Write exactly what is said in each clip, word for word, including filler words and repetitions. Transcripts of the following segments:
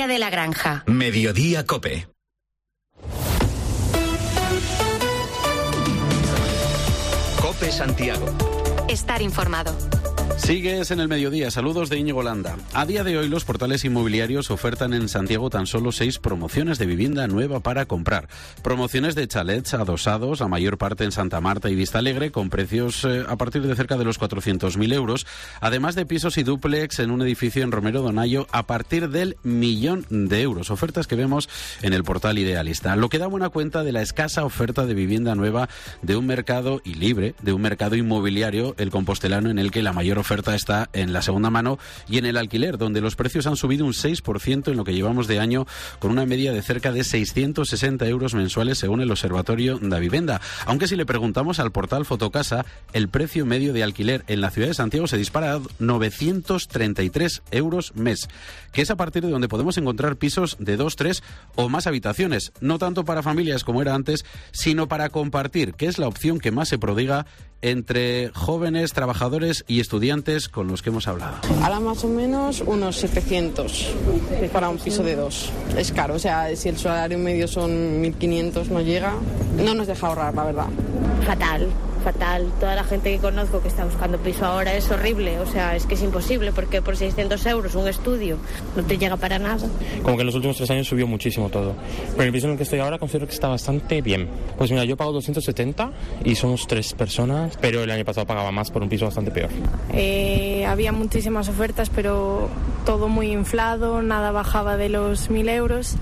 de la Granja. Mediodía Cope. Cope Santiago. Estar informado. Sigues en el mediodía. Saludos de Íñigo Landa. A día de hoy los portales inmobiliarios ofertan en Santiago tan solo seis promociones de vivienda nueva para comprar. Promociones de chalets adosados, la mayor parte en Santa Marta y Vista Alegre, con precios eh, a partir de cerca de los cuatrocientos mil euros, además de pisos y dúplex en un edificio en Romero Donayo a partir del millón de euros. Ofertas que vemos en el portal Idealista. Lo que da buena cuenta de la escasa oferta de vivienda nueva de un mercado y libre, de un mercado inmobiliario, el compostelano, en el que la mayor oferta oferta está en la segunda mano y en el alquiler, donde los precios han subido un seis por ciento en lo que llevamos de año, con una media de cerca de seiscientos sesenta euros mensuales según el Observatorio da Vivenda. Aunque si le preguntamos al portal Fotocasa, el precio medio de alquiler en la ciudad de Santiago se dispara a novecientos treinta y tres euros mes, que es a partir de donde podemos encontrar pisos de dos, tres o más habitaciones, no tanto para familias como era antes, sino para compartir, que es la opción que más se prodiga entre jóvenes, trabajadores y estudiantes con los que hemos hablado. Ahora más o menos unos setecientos para un piso de dos. Es caro, o sea, si el salario medio son mil quinientos no llega, no nos deja ahorrar, la verdad. Fatal, fatal. Toda la gente que conozco que está buscando piso ahora es horrible, o sea, es que es imposible, porque por seiscientos euros un estudio no te llega para nada. Como que en los últimos tres años subió muchísimo todo. Pero el piso en el que estoy ahora considero que está bastante bien. Pues mira, yo pago doscientos setenta y somos tres personas, pero el año pasado pagaba más por un piso bastante peor. Eh, había muchísimas ofertas, pero todo muy inflado, nada bajaba de los mil euros.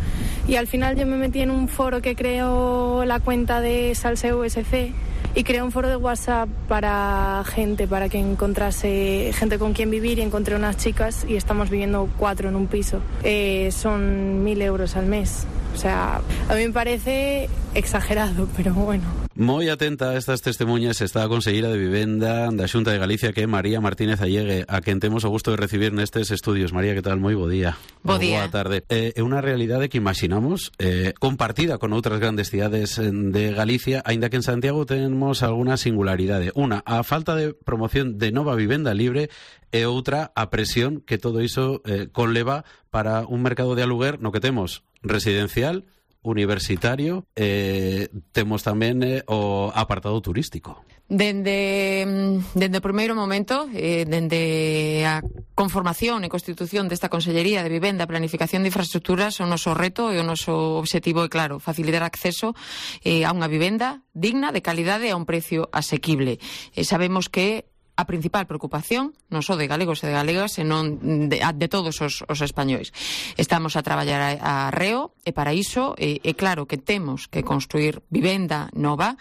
Y al final yo me metí en un foro que creó la cuenta de Salseo S C y creé un foro de WhatsApp para gente, para que encontrase gente con quien vivir, y encontré unas chicas y estamos viviendo cuatro en un piso. Eh, son mil euros al mes. O sea, a mí me parece exagerado, pero bueno. Moi atenta a estas testemunhas está a conselleira de Vivenda da Xunta de Galicia, que é María Martínez Allegue, a quen temos o gusto de recibir nestes estudios. María, que tal? Moi bo día. Bo día. Boa tarde. É eh, unha realidade que imaginamos eh, compartida con outras grandes cidades de Galicia, aínda que en Santiago tenemos alguna singularidade. Unha, a falta de promoción de nova vivenda libre, e outra, a presión que todo iso eh, conleva para un mercado de aluguer no que temos residencial, universitario, eh, temos tamén eh, o apartado turístico. Dende, dende o primeiro momento, eh, dende a conformación e constitución desta Consellería de Vivenda e Planificación de Infraestructuras, o noso reto e o noso obxectivo é claro, facilitar acceso eh, a unha vivenda digna, de calidade e a un precio asequible. Eh, sabemos que a principal preocupación non só de galegos e de galegas, senón de, de todos os, os españois. Estamos a traballar a, a reo, e para iso é, é claro que temos que construir vivenda nova,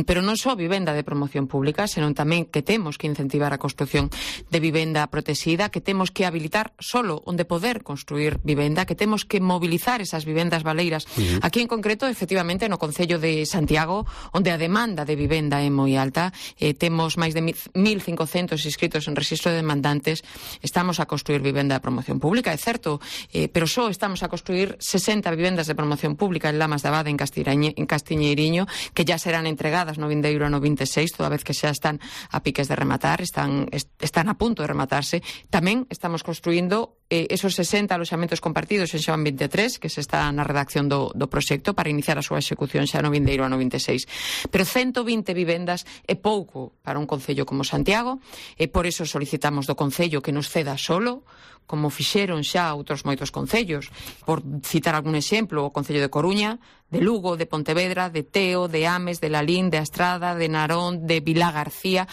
pero non só vivenda de promoción pública, senón tamén que temos que incentivar a construción de vivenda protexida, que temos que habilitar solo onde poder construir vivenda, que temos que mobilizar esas vivendas baleiras. Uh-huh. Aquí en concreto, efectivamente, no Concello de Santiago, onde a demanda de vivenda é moi alta, eh, temos máis de mil cincocentos inscritos en registro de demandantes, estamos a construir vivenda de promoción pública, é certo, eh, pero só estamos a construir sesenta vivendas de promoción pública en Lamas de Abade, en, en Castiñeiriño, que ya serán entregadas no vindeiro ano vinte e seis, toda vez que xa están a piques de rematar, están, est, están a punto de rematarse. Tamén estamos construindo eh, esos sesenta aloxamentos compartidos en Xoán vinte e tres, que se está na redacción do, do proxecto para iniciar a súa execución xa no vindeiro ano vinte e seis. Pero ciento vinte vivendas é pouco para un concello como Santiago, e por iso solicitamos do Concello que nos ceda solo, como fixeron xa outros moitos concellos. Por citar algún exemplo, o Concello de Coruña, de Lugo, de Pontevedra, de Teo, de Ames, de Lalín, de Astrada, de Narón, de Vilá García,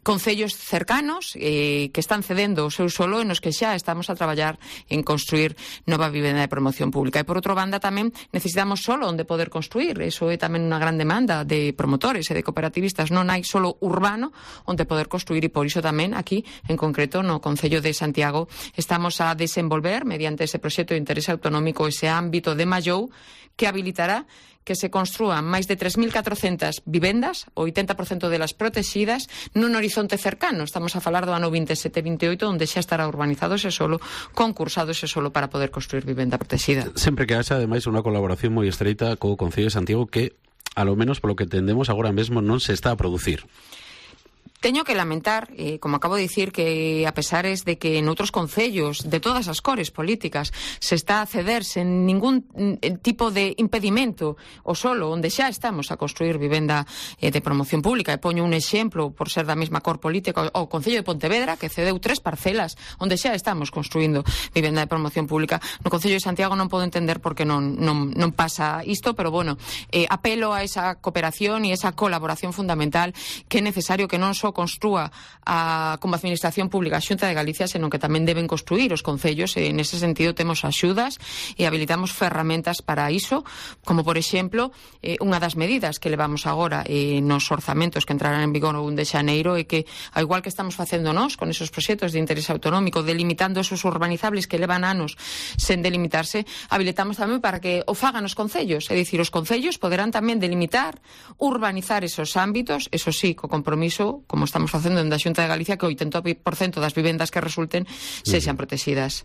concellos cercanos eh, que están cedendo o seu solo e nos que xa estamos a traballar en construir nova vivenda de promoción pública. E por outra banda tamén necesitamos solo onde poder construir, eso é tamén unha gran demanda de promotores e de cooperativistas, non hai solo urbano onde poder construir, e por iso tamén aquí, en concreto, no Concello de Santiago, estamos a desenvolver, mediante ese proxecto de interés autonómico, ese ámbito de Mallou, que habilitará que se construan máis de tres mil catrocentas vivendas, o oitenta por cento delas protegidas, nun horizonte cercano. Estamos a falar do ano vinte e sete vinte e oito, onde xa estará urbanizado ese solo, concursado ese solo para poder construir vivenda protegida. Sempre que haxa, ademais, unha colaboración moi estreita co Concello de Santiago, que, a lo menos polo que entendemos, agora mesmo non se está a producir. Teño que lamentar, eh, como acabo de dicir, que a pesares de que en outros concellos de todas as cores políticas se está a ceder sen ningún tipo de impedimento o solo onde xa estamos a construir vivenda eh, de promoción pública, e poño un exemplo por ser da mesma cor política, o Concello de Pontevedra, que cedeu tres parcelas onde xa estamos construindo vivenda de promoción pública. No Concello de Santiago non podo entender por que non, non, non pasa isto, pero bueno, eh, apelo a esa cooperación e esa colaboración fundamental que é necesario que non só construa a, como administración pública a Xunta de Galicia, senón que tamén deben construir os concellos, e nese sentido temos axudas e habilitamos ferramentas para iso, como por exemplo eh, unha das medidas que levamos agora eh, nos orzamentos que entrarán en vigor o un de xaneiro, e que, ao igual que estamos facendo nós con esos proxectos de interés autonómico, delimitando esos urbanizables que levan anos sen delimitarse, habilitamos tamén para que o fagan os concellos, é dicir, os concellos poderán tamén delimitar, urbanizar esos ámbitos, eso sí, co compromiso, como estamos facendo en da Xunta de Galicia, que o oitenta por cento das vivendas que resulten sexan protegidas.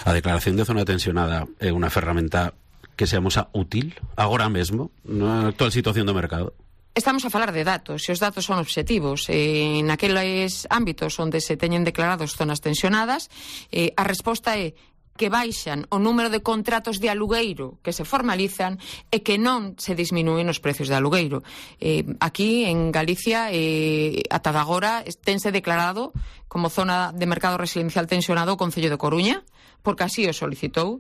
A declaración de zona tensionada é unha ferramenta que se amosa útil agora mesmo na actual situación do mercado? Estamos a falar de datos, e os datos son obxectivos. Eh, naqueles ámbitos onde se teñen declarados zonas tensionadas, eh, a resposta é que baixan o número de contratos de alugueiro que se formalizan e que non se disminúen os precios de alugueiro. Eh, aquí, en Galicia, eh, ata agora, tense declarado como zona de mercado residencial tensionado o Concello de Coruña, porque así o solicitou.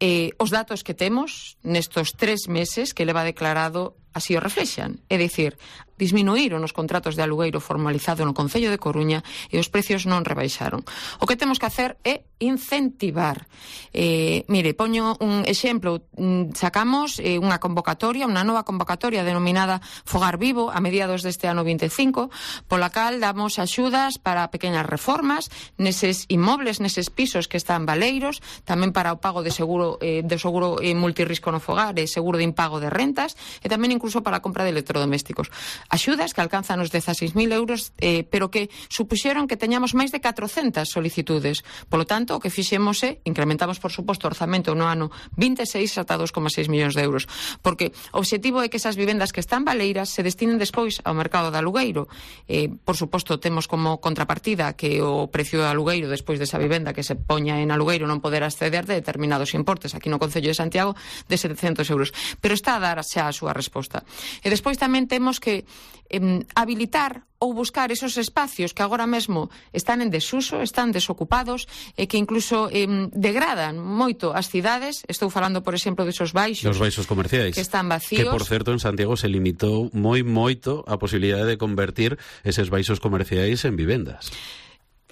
Eh, os datos que temos nestos tres meses que leva declarado así o reflexan, é dicir, disminuíron os contratos de alugueiro formalizado no Concello de Coruña e os precios non rebaixaron. O que temos que hacer é incentivar. Eh, mire, poño un exemplo. Sacamos eh, unha convocatoria, unha nova convocatoria denominada Fogar Vivo a mediados deste ano vinte e cinco, pola cal damos axudas para pequenas reformas neses inmobles, neses pisos que están baleiros, tamén para o pago de seguro eh, de seguro eh, multirrisco no fogar e seguro de impago de rentas, e tamén incluso para a compra de electrodomésticos. Axudas que alcanzan os dezaseis mil euros, eh, pero que supuxeron que teñamos máis de catrocentas solicitudes. Polo tanto, o que fixemos é, incrementamos, por suposto, o orzamento no ano vinte e seis ata dos coma seis millóns de euros, porque o obxectivo é que esas vivendas que están baleiras se destinen despois ao mercado de alugueiro. Eh, por suposto, temos como contrapartida que o precio do alugueiro despois desa vivenda que se poña en alugueiro non poder acceder de determinados importes aquí no Concello de Santiago de setecentos euros. Pero está a dar xa a súa resposta. E despois tamén temos que eh, habilitar ou buscar esos espacios que agora mesmo están en desuso, están desocupados e que incluso eh, degradan moito as cidades. Estou falando, por exemplo, desos baixos, os baixos comerciais que están vacíos. Que, por certo, en Santiago se limitou moi moito a posibilidade de convertir eses baixos comerciais en vivendas.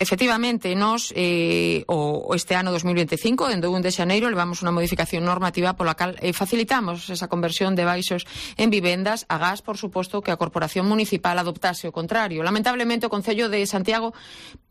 Efectivamente, nós eh, o, este ano dos mil vinte e cinco, dende o un de xaneiro, levamos unha modificación normativa pola cal eh, facilitamos esa conversión de baixos en vivendas, a gas, por suposto, que a Corporación Municipal adoptase o contrario. Lamentablemente, o Concello de Santiago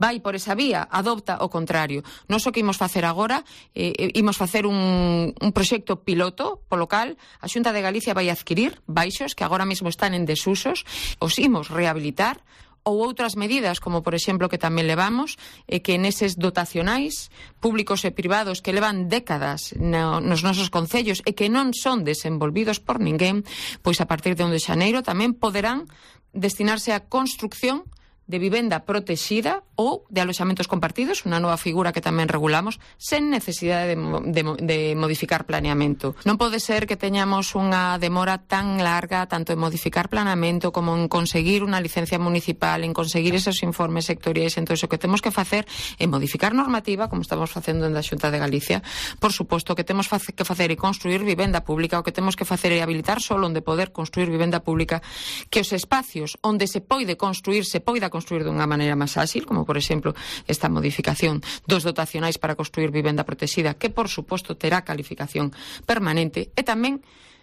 vai por esa vía, adopta o contrario. Nós o que imos facer agora, eh, imos facer un, un proxecto piloto, polo cal a Xunta de Galicia vai adquirir baixos que agora mesmo están en desusos, os imos rehabilitar, ou outras medidas, como por exemplo que tamén levamos, é que neses dotacionais públicos e privados que levan décadas no, nos nosos concellos e que non son desenvolvidos por ninguén, pois a partir de un de xaneiro tamén poderán destinarse a construcción de vivenda protexida ou de aloxamentos compartidos, unha nova figura que tamén regulamos, sen necesidade de, de, de modificar planeamento. Non pode ser que teñamos unha demora tan larga, tanto en modificar planeamento como en conseguir unha licencia municipal, en conseguir esos informes sectoriais. Entón, o que temos que facer é modificar normativa, como estamos facendo en a Xunta de Galicia. Por suposto, que temos que facer e construir vivenda pública, o que temos que facer é habilitar solo onde poder construir vivenda pública, que os espacios onde se poide construir, se poida construir construir dunha maneira máis áxil, como por exemplo esta modificación dos dotacionais para construir vivenda protexida, que por suposto terá calificación permanente, e tamén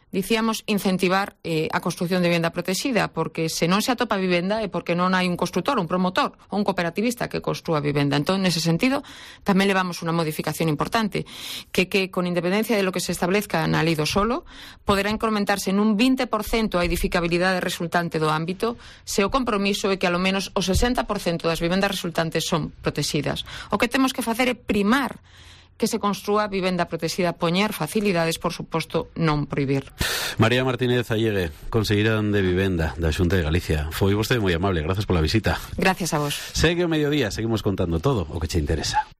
dicíamos incentivar eh, a construción de vivenda protexida, porque se non se atopa vivenda é porque non hai un construtor, un promotor ou un cooperativista que construa vivenda. Entón, nese sentido, tamén levamos unha modificación importante, que que con independencia de lo que se establezca na lei do solo, poderá incrementarse nun vinte por cento a edificabilidade resultante do ámbito, se o compromiso é que alo menos o sesenta por cento das vivendas resultantes son protegidas. O que temos que facer é primar que se construa vivenda protexida, poñer facilidades, por suposto, non prohibir. María Martínez Allegue, conselleira de Vivenda da Xunta de Galicia. Foi vostede moi amable, gracias pola visita. Gracias a vos. Segue o mediodía, seguimos contando todo o que che interesa.